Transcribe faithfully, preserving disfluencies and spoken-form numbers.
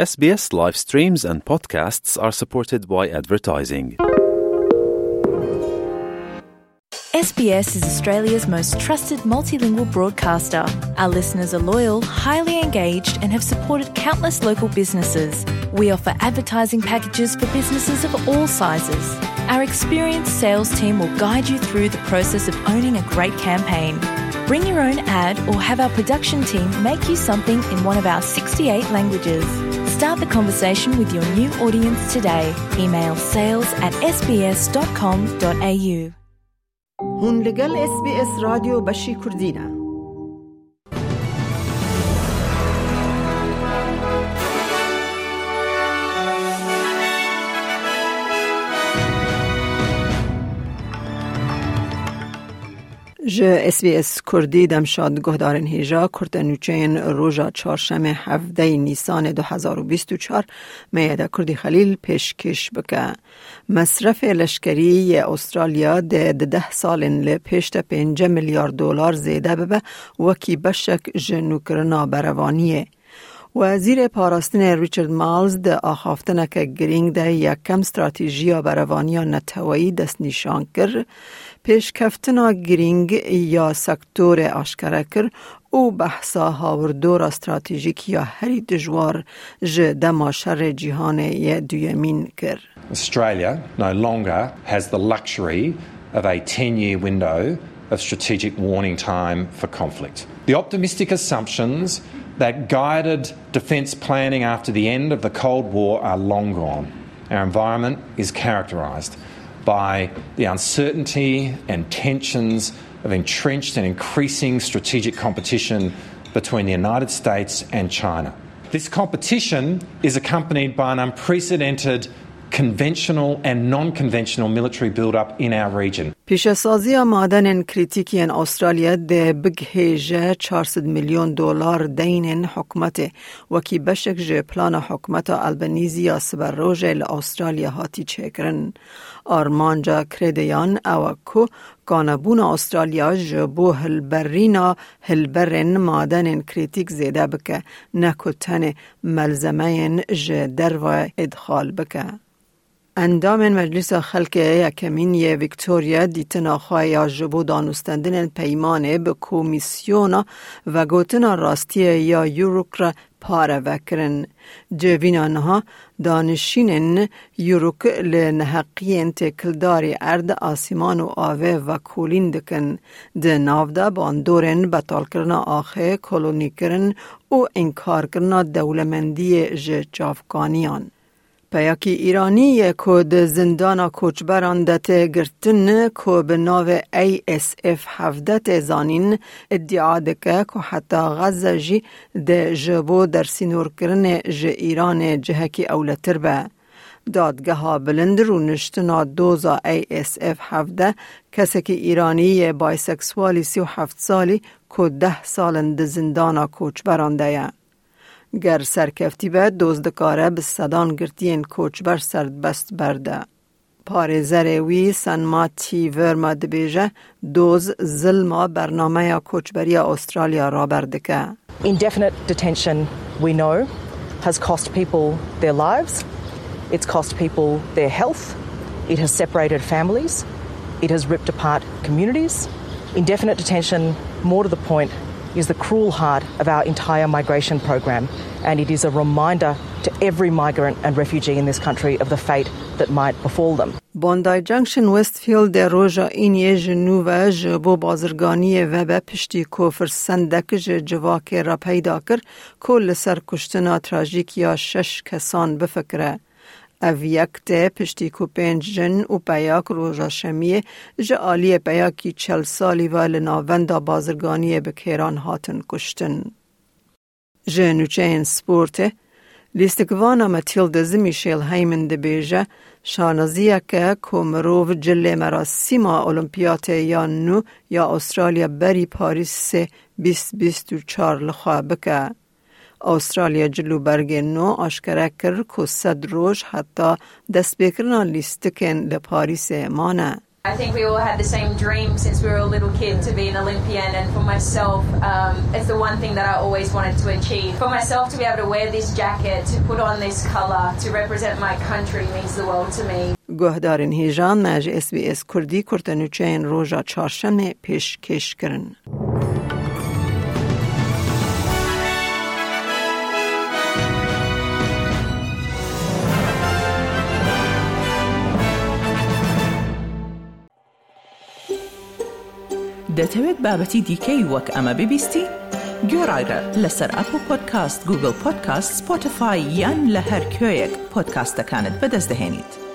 S B S live streams and podcasts are supported by advertising. S B S is Australia's most trusted multilingual broadcaster. Our listeners are loyal, highly engaged, and have supported countless local businesses. We offer advertising packages for businesses of all sizes. Our experienced sales team will guide you through the process of owning a great campaign. Bring your own ad or have our production team make you something in one of our sixty-eight languages. Start the conversation with your new audience today. Email sales at S B S dot com dot A U. Hûn li gel S B S Radyo beşî Kurdî ne. Ji S B S Kurdî demşad guhdarên hêja kurte nûçeyên roja çarşemê hevdeyê Nîsanê du hezar û bîst û çar Meyeda Kurdî Xelîl pêşkêş bike. Mesrefê leşkerî yê Astralya dê di deh salên li pêş de pênce milyar dolar zêde bibe, wekî beşek ji nûkirina berevaniyê. Wezîrê Parastinê Richard Marles di axaftineke girîng de yekem stratejiya berevaniya neteweyî destnîşan kir, pêşkeftina girîng ya sektorê aşkere kir û behsa hawirdora stratejîk ya herî dijwar ji dema şerê cîhanê yê duyemîn kir. Australia no longer has the luxury of a ten-year window of strategic warning time for conflict. The optimistic assumptions that guided defence planning after the end of the Cold War are long gone. Our environment is characterised by the uncertainty and tensions of entrenched and increasing strategic competition between the United States and China. This competition is accompanied by an unprecedented conventional and non-conventional military build-up in our region. Pîşesaziya madenên krîtîk yên Astralya dê bigihêje çar sed milyon dolar deynên hikûmetê, wekî beşek ji plana hikûmeta Albanîzî ya siberojê li Astralya hatî çêkirin. Armanca krêdeyan ew e ku kanebûna Astralya ji bo hilberîna hilberên madenên krîtîk zêde bike, ne ku tenê melzemeyên ji derve îdxal bike. Endamên Meclisa Xelkê Yekemîn yê Victoria dîtina xwe ya ji bo danûstendinên peymanê bi Komîsyona Vegotina Rastiyê ya Uruk re pare vekirin. Civîna niha danişînên Uruk li neheqiyên têkildarî erd, asîman û avê vekolîn dikin. Di nav de bandorên betalkirina axê, kolonîkirin û înkarkirina dewlemendiyê ji çavkaniyan. Peyakî Îranî yê ku di zindana koçberan de tê girtin, ku bi navê A S F hevdeh tê zanîn, îdia dike ku heta Xezze jî dê ji bo dersînorkirinê ji Îranê cihekî ewletir be. Dadgeha Bilind rûniştina doza A S F hevdeh, kesekî Îranî yê bayseksualî sî û heft salî ku deh sal in di zindana koçberan de ye. Ger serkeftî be, doz dikare bi sedan girtiyên koçber serbest berde. Parêzerê wî Sanma T Verma dibêje, doz zilma bernameya koçberiya Astralya raber dike. Indefinite detention, we know, has cost people their lives. It's cost people their health. It has separated families. It has ripped apart communities. Indefinite detention, more to the point, is the cruel heart of our entire migration program, and it is a reminder to every migrant and refugee in this country of the fate that might befall them. Bondi Junction Westfield de roja îniyê ji nû ve ji bo bazirganiyê vebe, piştî ku firsendek ji civakê re peyda kir ku li ser kuştina trajîk ya şeş kesan bifikire. Ev yek tê piştî ku pênc jin û peyak roja şemiyê ji aliyê peyakî çel salî ve li navenda bazirganiyê bi kêran hatin kuştin. Ji nûçeyên sportê, lîstikvana Matildas Michel Heyman dibêje, şanaziyek e ku mirov cilê merasîma Olimpiyatê ya nû ya Astralya berî Parîsê bîst bîst û çar li xwe bike. Astralya cil û bergên nû aşkere kir ku sed roj heta destpêkirina lîstikên li Parîsê mane. I think we all had the same dream since we were a little kid to be an Olympian, and for myself, um, it's the one thing that I always wanted to achieve. For myself to be able to wear this jacket, to put on this colour, to represent my country means the world to me. Guhdarên hêja me ji S B S Kurdî kurtenûçeyên roja çarşemê pêşkêş kirin. دەتەوێت بابەتی دیکەی وەک ئەمە ببیستی؟ گوێڕایرە لەسەر ئەپڵ پۆدکاست، گوگڵ پۆدکاست، سپۆتیفای یان لە هەر کوێیەک پۆدکاستەکانت بەدەست دەهێنیت.